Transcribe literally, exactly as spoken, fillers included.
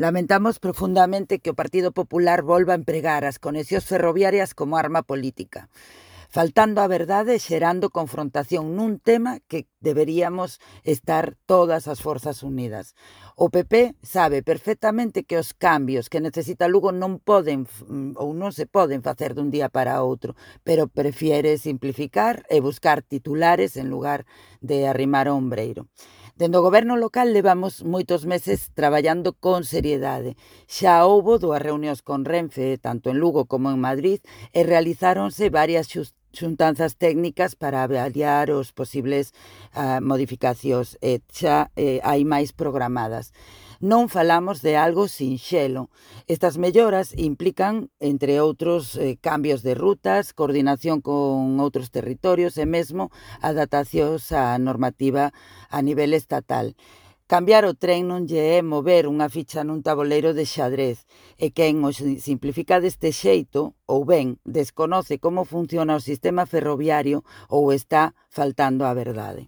Lamentamos profundamente que o Partido Popular volva a empregar as conexións ferroviarias como arma política, faltando a verdade e xerando confrontación nun tema que deberíamos estar todas as forzas unidas. O P P sabe perfectamente que os cambios que necesita Lugo non poden ou non se poden facer dun día para outro, pero prefiere simplificar e buscar titulares en lugar de arrimar o ombreiro. Dende o goberno local levamos moitos meses traballando con seriedade. Xa houbo dúas reunións con Renfe, tanto en Lugo como en Madrid, e realizáronse varias xus xuntanzas técnicas para avaliar os posibles uh, modificacións e xa eh, hai máis programadas. Non falamos de algo sinxelo. Estas melloras implican, entre outros, eh, cambios de rutas, coordinación con outros territorios e mesmo adaptacións á normativa a nivel estatal. Cambiar o tren non lle é mover unha ficha nun taboleiro de xadrez, e quen o simplifica deste xeito, ou ben desconoce como funciona o sistema ferroviario ou está faltando á verdade.